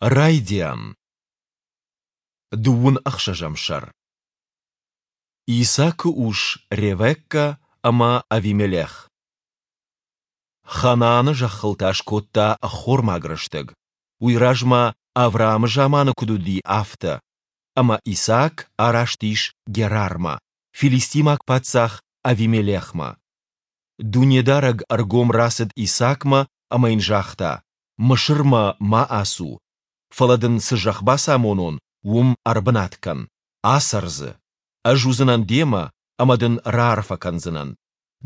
Райдиан. Дыууын ӕхсӕзӕм сӕр. Исакы ус Ревеккӕ ӕмӕ Авимелех. Ханааны зӕххыл та скодта ӕххормаг рӕстӕг, уый размӕ Авраамы заманы куыд уыди, афтӕ, ӕмӕ Исаак араст ис Герармӕ, филистимаг паддзах Авимелехмӕ. Дунедарӕг ӕргом рацыд Исаакмӕ ӕмӕ йын загъта: Мысырмӕ ма ацу, фӕлӕ дын цы зӕхх бацамонон, уым ӕрбынат кӕн, ацӕр дзы. Ӕз уыдзынӕн демӕ ӕмӕ дын раарфӕ кӕндзынӕн.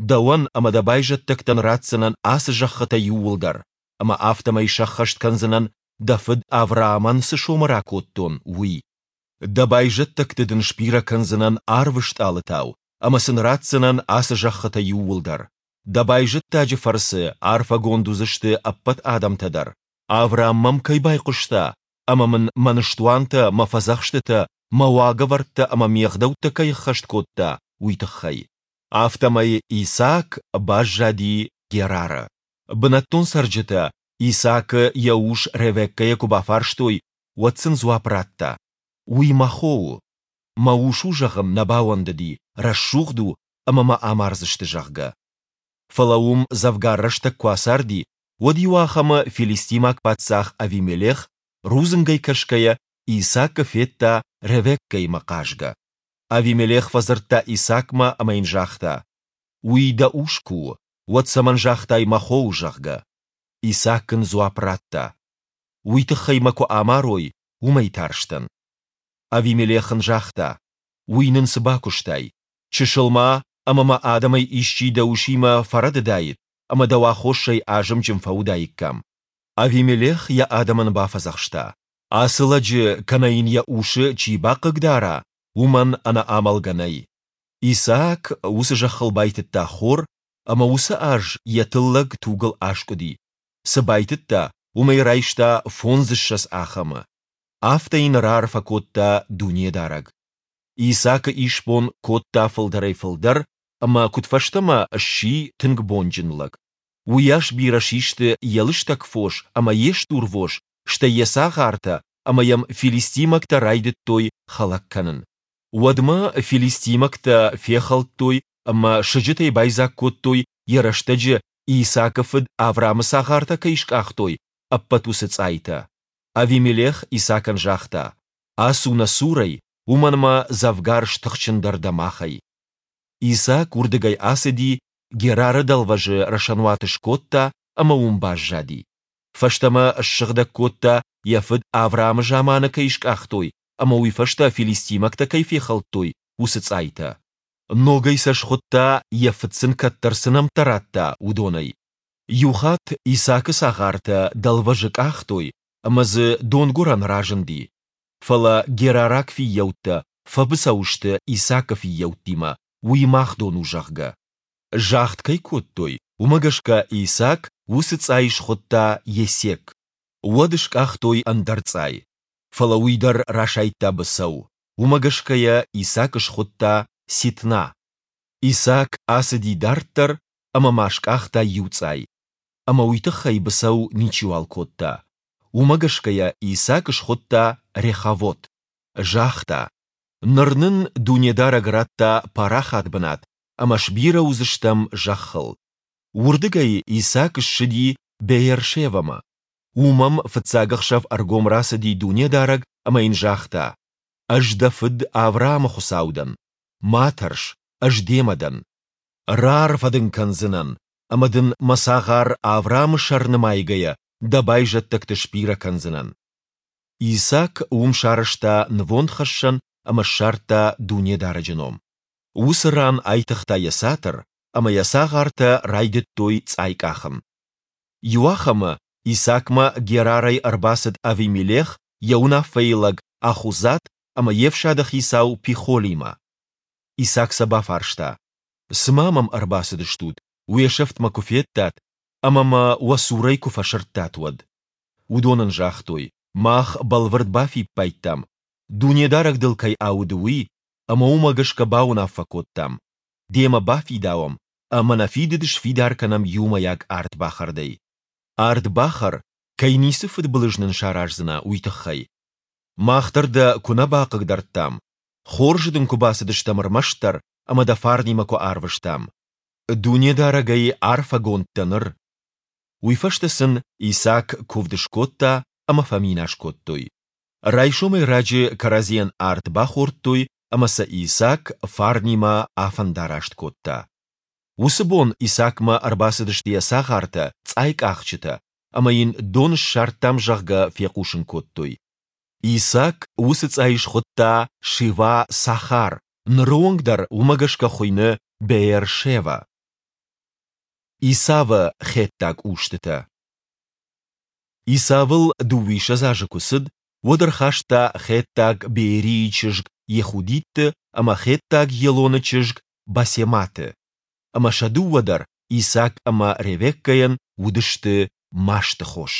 Дӕуӕн ӕмӕ дӕ байзӕддӕгтӕн ратдзынӕн ацы зӕххытӕ иууылдӕр, ӕмӕ афтӕмӕй сӕххӕст кӕндзынӕн, дӕ фыд Авраамӕн цы сомы ракодтон, уый. Дӕ байзӕддӕгты дын сбирӕ кӕндзынӕн арвы стъалытау ӕмӕ сын ратдзынӕн ацы зӕххытӕ иууылдӕр. Дӕ байзӕддаджы фӕрцы арфӕгонд уыдзысты ӕппӕт адӕмтӕ дӕр, Авраам мӕм кӕй байхъуыста ӕмӕ мын мӕ ныстуантӕ, мӕ фӕдзӕхстытӕ, мӕ уагӕвӕрдтӕ ӕмӕ ме гъдӕуттӕ кӕй ӕххӕст кодта, уый тыххӕй. Афтӕмӕй Исаак баззади Герары. Бынӕттон цӕрджытӕ Исаакы йӕ ус Ревеккӕйӕ куы бафарстой, уӕд сын дзуапп радта, Уый мӕ хо у. Мӕ ус у зӕгъын нӕ бауӕндыди, рӕсугъд у ӕмӕ мӕ амардзысты, зӕгъгӕ. Фӕлӕ уым дзӕвгар рӕстӕг куы ацарди, уӕд иуахӕмы филистимаг паддзах Авимелех, рудзынгӕй кӕсгӕйӕ, Исаакы федта Ревеккӕимӕ хъазгӕ. Авимелех фӕдзырдта Исаакмӕ ӕмӕ йын загъта, Уый дӕ ус куы у, уӕд цӕмӕн загътай мӕ хо у, зӕгъгӕ? Исаак ын дзуапп радта, Уый тыххӕй мӕ куы амарой, уымӕй тарстӕн. Авимелех ын загъта, Уый нын цы бакуыстай? Чысыл ма, ӕмӕ мӕ адӕмӕй исчи дӕ усимӕ фӕрӕдыдаид, ӕмӕ дӕу аххосӕй азымджын фӕуыдаиккам. Авимелех йӕ адӕмӕн бафӕдзӕхста, Ацы лӕджы кӕнӕ йын йӕ усы чи бахъыгдара, уымӕн ӕнӕ амӕлгӕ нӕй. Исаак уыцы зӕххыл байтыдта хор, ӕмӕ уыцы аз йӕ тыллӕг тугыл аскъуыди. Цы байтыдта, уымӕй райста фондзыссӕдз ахӕмы. Афтӕ йын раарфӕ кодта Дунедарӕг. Исаакы исбон кодта фылдӕрӕй-фылдӕр ӕмӕ куыдфӕстӕмӕ сси тынг бонджын лӕг. Уыйас бирӕ систы йӕ лыстӕг фос ӕмӕ йе стурвос, стӕй йӕ цагъартӕ, ӕмӕ йӕм филистимӕгтӕ райдыдтой хӕлӕг кӕнын. Уӕдмӕ филистимӕгтӕ фехӕлдтой ӕмӕ сыджытӕй байдзаг кодтой, йӕ рӕстӕджы Исаакы фыд Авраамы цагъартӕ кӕй скъахтой, ӕппӕт уыцы цъайтӕ. Авимелех Исаакӕн загъта, Ацу нӕ цурӕй, уымӕн ӕмӕ дзӕвгар стыхджындӕр дӕ махӕй. Исаак уырдыгӕй ацыди, Герары дӕлвӕзы рӕсӕнуат скодта ӕмӕ уым баззади. Фӕстӕмӕ ссыгъдӕг кодта, йӕ фыд Авраамы заманы кӕй скъахтой ӕмӕ уый фӕстӕ филистимӕгтӕ кӕй фехӕлдтой, уыцы цъайтӕ. Ногӕй сӕ схуыдта, йӕ фыд сын кӕддӕр цы нӕмттӕ радта, уыдонӕй. Иухатт Исаакы цагъартӕ дӕлвӕзы къахтой, ӕмӕ дзы донгуырӕн разынди. Фӕлӕ герараг фыййӕуттӕ фӕбыцӕу сты Исаакы фыййӕуттимӕ, уый мах дон у, зӕгъгӕ. Загъд кӕй кодтой, уымӕ гӕсгӕ Исаак уыцы цъай схуыдта Есек. Уӕд скъахтой ӕндӕр цъай. Фӕлӕ уый дӕр расайдта быцӕу. Уымӕ гӕсгӕ йӕ Исаак схуыдта Ситна. Исаак ацыди дарддӕр ӕмӕ ма скъахта иу цъай. Ӕмӕ уый тыххӕй быцӕу ничиуал кодта. Уымӕ гӕсгӕ йӕ Исаак схуыдта Реховот. Загъта, Ныр нын Дунедарӕг радта парахат бынат ӕмӕ сбирӕ уыдзыстӕм зӕххыл. Уырдыгӕй Исаак ссыди Беершевӕмӕ. Уым ӕм фыццаг ӕхсӕв ӕргом рацыди Дунедарӕг ӕмӕ йын загъта, Ӕз дӕ фыд Авраамы Хуыцау дӕн. Ма тӕрс, ӕз демӕ дӕн. Раарфӕ дын кӕндзынӕн, ӕмӕ дын мӕ цагъар Авраамы сӕр нымайгӕйӕ дӕ байзӕддӕгты сбирӕ кӕндзынӕн. Исаак уым сарӕзта нывондхӕссӕн ӕмӕ ссардта Дунедарӕджы ном. Уыцы ран айтыгъта йӕ цатыр, ӕмӕ йӕ цагъартӕ райдыдтой цъай къахын. Иуахӕмы Исаакмӕ Герарӕй ӕрбацыд Авимелех йӕ уынаффӕйы лӕг Ахузат ӕмӕ йе фсады хицау Пихолимӕ. Исаак сӕ бафарста, Цы ма мӕм ӕрбацыдыстут, уе сӕфт мӕ куы федтат ӕмӕ мӕ уӕ цурӕй куы фӕсырдтат, уӕд? Уыдон ын загътой, Мах бӕлвырд бафиппайдтам, Дунедарӕг дыл кӕй ауды, уый, ӕмӕ уымӕ гӕсгӕ бауынаффӕ кодтам, демӕ бафидауӕм ӕмӕ нӕ фидыд сфидар кӕнӕм иумӕйаг ардбахӕрдӕй. Ард бахӕр, кӕй ницы фыдбылыз нын сараздзынӕ, уый тыххӕй. Мах дӕр дӕ куы нӕ бахъыгдардтам, хорзы дын куы бацыдыстӕм ӕрмӕстдӕр ӕмӕ дӕ фарнимӕ куы арвыстам. Дунедарӕгӕй арфӕгонд дӕ ныр. Уый фӕстӕ сын Исаак куывд скодта ӕмӕ фӕминас кодтой. Райсомӕй раджы кӕрӕдзийӕн ард бахордтой ӕмӕ сӕ Исаак фарнимӕ афӕндараст кодта. Уыцы бон Исаакмӕ ӕрбацыдысты йӕ цагъартӕ, цъайкъахджытӕ, ӕмӕ йын дон ссардтам, зӕгъгӕ, фехъусын кодтой. Исаак уыцы цъай схуыдта Шива-Сахар, ныры онг дӕр уымӕ гӕсгӕ хуыйны Беер-Шева. Исавы хеттаг устытӕ. Исавыл дыууиссӕдз азы куы цыд, уӕд ӕрхаста хеттаг Беерийы чызг Йехудитты ӕмӕ хеттаг Елоны чызг Басематы. Ӕмӕ сӕ дыууӕ дӕр Исаак ӕмӕ Ревеккӕйӕн уыдысты масты хос.